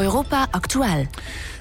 Europa aktuell.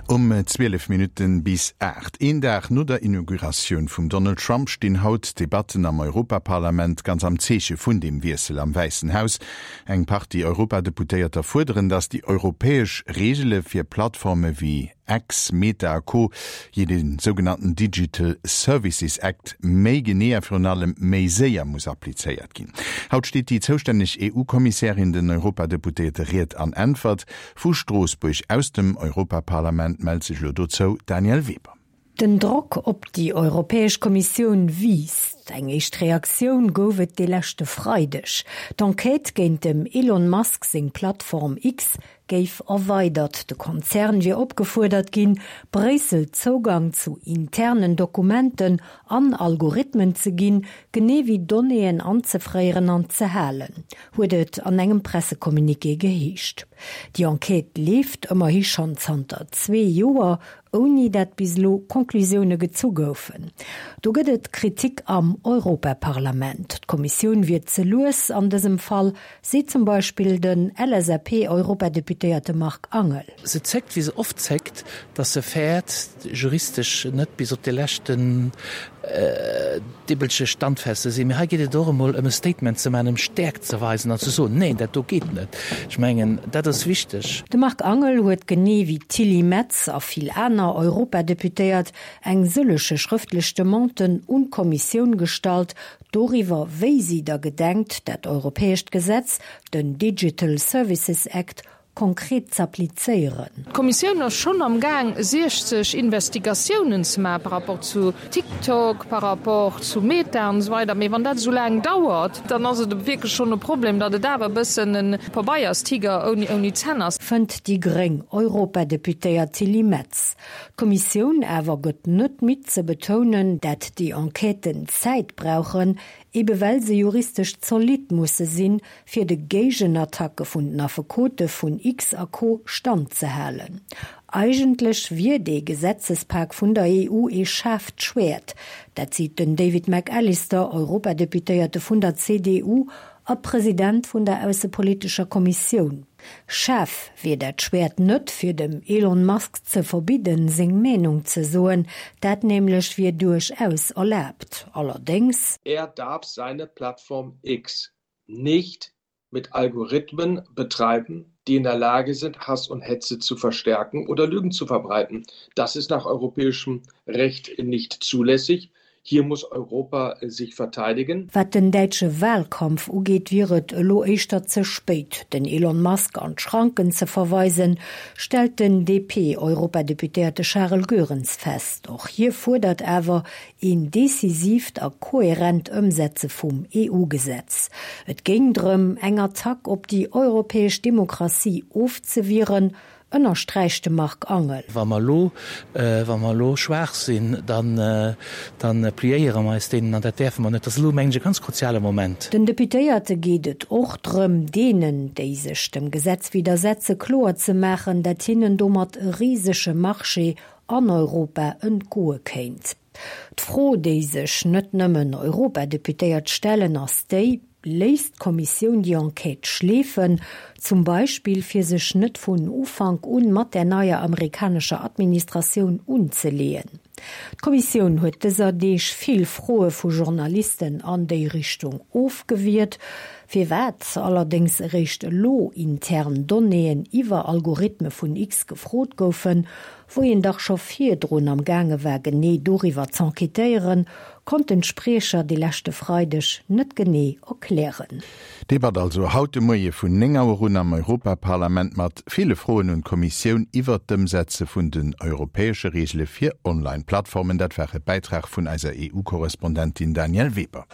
Um 12 Minutten bis 8, een Dag no der Inauguratioun vum Donald Trump, stinn haut d'Debatten am Europaparlament ganz am Zeeche vun deem Wiessel am Wäissen Haus. Eng Partie Europadeputéierter fuerderen, datt déi europäesch Reegele fir Plattforme wéi X, Meta a Co. Jee de sougenannten Digital Services Act méi genee a virun allem méi séier muss applizéiert ginn. Haut steet déi zoustänneg EU-Kommissärin den Europadeputéierte Ried an Äntwert. Vu Stroossbuerg aus dem Europaparlament mellt sech elo dozou d'Danièle Weber. Den Drock op déi Europäesch Kommissioun wiisst. Eng éischt Reaktioun gouf et de leschte Freideg. D'Enquête géint dem Elon Musk seng Plattform X géif erweidert. De Konzern wier opgefuerdert ginn, Bréissel Zougang zu internen Dokumenten an Algorithmen ze ginn, genee wéi Donnéeën anzefréieren an ze halen, huet et an engem Pressecommuniqué geheescht. Déi Enquête leeft ëmmerhi schonn zanter zwee Joer, ouni dat bis elo Conclusioune gezu goufen. Do gëtt et Kritik am Europaparlament. D'Kommissioun wier ze lues an dësem Fall, seet zum Beispill den LSAP-Europadeputéierte Marc Angel. Se zéckt, wéi se oft zéckt, datt se fäert, juristesch net bis op de leschten Dibbelche standfest ze sinn. Mee hei geet et och emol ëm e Statement ze maachen, ëm Stäerkt ze weisen an ze soen, Neen, dat do geet net. Ech mengen, dat ass wichteg. De Marc Angel huet genee wéi d'Tilly Metz a vill aner Europadeputéiert eng sëllege schrëftlech Demanden un d'Kommissioun gestallt doriwwer, wéi si da gedenkt, dat europäescht Gesetz, den Digital Services Act, konkret z'applizéieren. D'Kommissioun ass schonn am Gaang 60 Investigatiounen ze maachen par rapport zu TikTok, par rapport zu Meta an esou weider. Mee wann dat esou laang dauert, dann ass et wierklech schonn e Problem, datt et awer e bëssen e Pabeierstiger ouni Zänn ass. Fënnt déi gréng Europadeputéiert Tilly Metz. D'Kommissioun awer gëtt net midd ze betounen, dat déi Enquêten Zäit brauchen, ebe well se juristesch zolidd musse sinn, fir de Géigenattacke vun den Affekote vun X a Co Stand ze halen. Eigentlech wier dee Gesetzespak vun der EU ee schaarft Schwäert. Dat seet den David McAllister, Europadeputéierte vun der CDU a President vun der aussepolitescher Kommissioun. Schaarf wier dat Schwäert net, fir dem Elon Musk ze verbidden, seng Meenung ze soen. Dat nämlech wier duerchaus erlaabt. Allerdéngs. Er darf seine Plattform X nicht mit Algorithmen betreiben, die in der Lage sind, Hass und Hetze zu verstärken oder Lügen zu verbreiten. Das ist nach europäischem Recht nicht zulässig. Hier muss Europa sich verteidigen. Wat den däitsche Wahlkampf ugeet, wier et elo éischter ze spéit, den Elon Musk an d'Schranken ze verweisen, stellt den DP-Europadeputéierte Charel Goerens fest. Och hie fuerdert awer een decisiivt a kohärent Ëmsetze vum EU-Gesetz. Et géing drëm, eng Attack op déi europäesch Demokratie ofzewieren, ënnersträicht de Marc Angel. Wa mer elo, wa mer elo schwaach sinn, dann, dann pliéiere mer eis deenen an dat däerfe mer net. Dat ass elo, mengen ech, e ganz kruziale Moment. Den Deputéierte geet et och drëm, deenen, déi sech dem Gesetz widdersetze, kloer ze maachen, dat hinnen domat e risege Marché an Europa entgoe kéint. D'Fro, déi sech net nëmmen Europadeputéiert stellen, ass déi, Léisst d'Kommissioun déi Enquête schleefen, zum Beispill fir sech net vun Ufank un mat där neier amerikanescher Administratioun unzeleeën? D'Kommissioun huet dëser Deeg vill Froe vu Journalisten an déi Richtung ofgewiert. Firwat allerdéngs eréischt elo intern Donnéeën iwwer Algorithme vun X gefrot goufen, wou een dach scho virdrun am gaange war genee doriwwer z'enquêtéieren, konnten d'Spriecher de leschte Freideg net genee erklären. Debatt also haut de Moie vun 9 Auer un am Europaparlament mat ville Froen un d'Kommissioun iwwert d'Ëmsetze vun den europäesche Reegele fir Online-Plattformen. Dat war e Bäitrag vun eiser EU-Korrespondentin Danièle Weber.